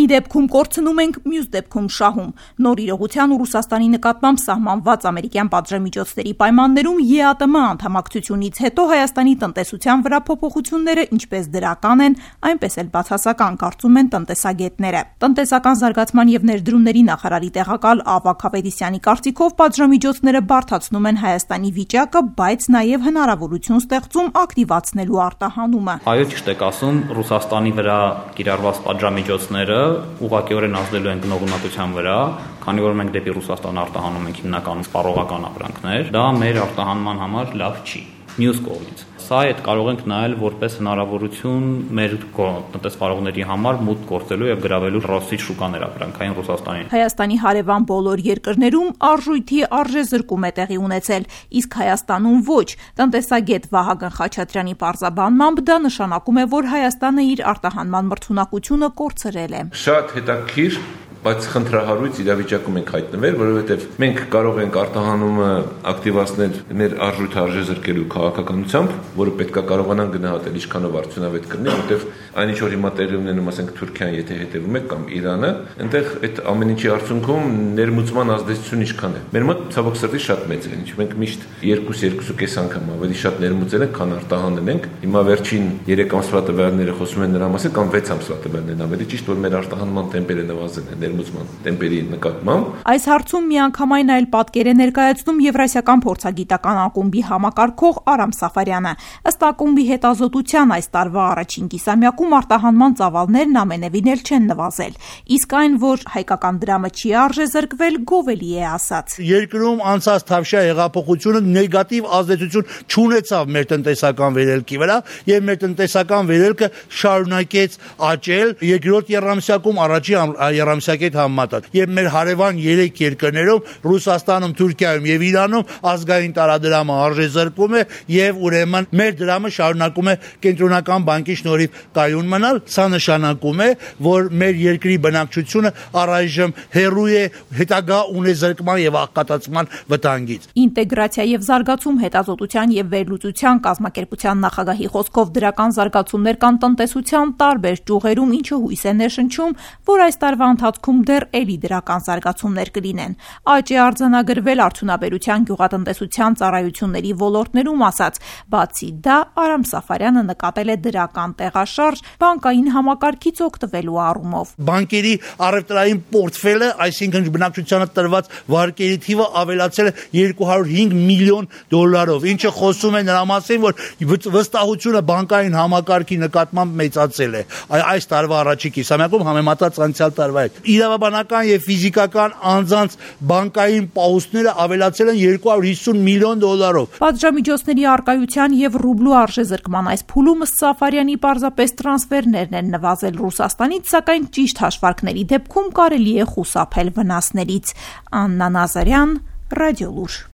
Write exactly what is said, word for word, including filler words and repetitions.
դեպքում կորցնում ենք, մյուս դեպքում շահում։ Նոր իրողության ու Ռուսաստանի նկատմամբ սահմանված ամերիկյան պատժամիջոցների պայմաններում Է Ա ՏՄ անդամակցությունից հետո Հայաստանի տնտեսության վրա փոփոխությունները ինչպես դրական են, այնպես էլ բացասական, կարծում են տնտեսագետները։ Տնտեսական զարգացման եւ ներդրումների նախարարի տեղակալ Ավագ Ավետիսյանի կարծիքով պատժամիջոցները բարդացնում են Հայաստանի վիճակը, բայց նաեւ հնարավորություն ստեղծում ակտիվացնելու արտահանումը։ Այո, ճիշտ եք ասում, Ռուսաստանի վրա կիրառված պատժամիջոցները ուղղակիորեն ազդելու են գնողունակության վրա, քանի որ մենք դեպի Ռուսաստան արտահանում ենք հիմնականում սպառողական ապրանքներ, դա մեր արտահանման համար լավ չի։ Մյուս կողմից, սա այդ կարող ենք նայել որպես հնարավորություն մեր տնտեսվարողների համար մուտք գործելու եւ գրավելու ռոսի շուկաներ ապրանքային Ռուսաստանին։ Հայաստանի հարևան բոլոր երկրներում արժույթի արժեզրկում է տեղի ունեցել, իսկ Հայաստանում ոչ։ Տնտեսագետ Վահագն Խաչատրյանի պարզաբանմամբ դա նշանակում է, որ Հայաստանը իր արտահանման մրցունակությունը կորցրել է։ Շատ հետաքրքիր, բայց խնդրահարույց իրավիճակում ենք հայտնվել, որովհետև մենք կարող ենք արտահանումը ակտիվացնել մեր արժույթը արժեզրկելու քաղաքականությամբ, որը պետք է կարողանան գնահատել ինչքանով արդյունավետ կլինի, որտեղ այն ինչ որ հիմա տեղի ունենում, ասենք Թուրքիան, եթե հետևում եք, կամ Իրանը, այնտեղ այդ ամեն ինչի արդյունքում ներմուծման ազդեցությունը ինչքան է։ Մեր մոտ ցավոք սրտի շատ մեծ է, ինչ մենք միշտ երկու երկու կես անգամ ավելի շատ ներմուծել ենք, քան արտահանել ենք։ Հիմա վերջին երեք ամսվա տվյալները խոսում են նրա մասին, կամ վեց ամսվա տվյալներն ավելի ճիշտ, որ մեր արտահանման տեմպերը նվազել են տեմպերի նկատմամբ։ Այս հարցում միանգամայն այլ պատկեր է ներկայացնում Եվրասիական փորձագիտական ակումբի համակարգող Արամ Սաֆարյանը։ Ըստ ակումբի հետազոտության այս տարվա առաջին կիսամյակում արտահանման ծավալներն ամենևին էլ չեն նվազել, իսկ այն, որ հայկական դրամը չի արժեզրկվել, գովելի է ասած։ Երկրում անցած թավշյա հեղափոխությունը նեգատիվ ազդեցություն չունեցավ մեր տնտեսական վերելքի վրա, եւ մեր տնտեսական վերելքը շարունակեց աճել երկրորդ եռամսյակում, առաջին եռամսյակի համեմատած։ Եվ մեր հարևան երեք երկրներում Ռուսաստանում, Թուրքիայում եւ Իրանում ազգային տարադրամը արժեզրկվում է եւ ուրեմն մեր դրամը շարունակում է կենտրոնական բանկի շնորհիվ կայուն մնալ։ Սա նշանակում է, որ մեր երկրի բնակչությունը առայժմ հեռու է հետագա ունեզրկման եւ աղքատացման վտանգից։ Ինտեգրացիա եւ զարգացում հետազոտության եւ վերլուծության կազմակերպության նախագահի խոսքով դրական զարգացումներ կան տնտեսության տարբեր ճյուղերում, ինչը հույս է ներշնչում, որ այս տարվա ընթացքում դեռ էլի դրական զարգացումներ կլինեն։ Աճ է արձանագրվել արդյունաբերության, գյուղատնտեսության, ծառայությունների ոլորտներում, ասած։ Բացի դա, Արամ Սաֆարյանը նկատել է դրական տեղաշարժ բանկային համակարգից օգտվելու առումով։ Բանկերի առևտրային պորտֆելը, այսինքն բնակչությանը տրված վարկերի թիվը ավելացել է երկու հարյուր հինգ միլիոն դոլարով, ինչը խոսում է նրա մասին, որ վստահությունը բանկային համակարգի նկատմամբ մեծացել է այս տարվա առաջին կիսամյակում համեմատած անցյալ տարվա հետ։ Իրավաբանական եւ ֆիզիկական անձանց բանկային պահուստները ավելացել են երկու հարյուր հիսուն միլիոն դոլարով։ Պատժամիջոցների առկայության եւ ռուբլու արժեզրկման այս փուլում Սաֆարյանի պարզապես տրանսֆերներն են նվազել Ռուսաստանից, սակայն ճիշտ հաշվարկների դեպքում կարելի է խուսափել վնասներից։ Աննա Նազարյան, Ռադիոլուր։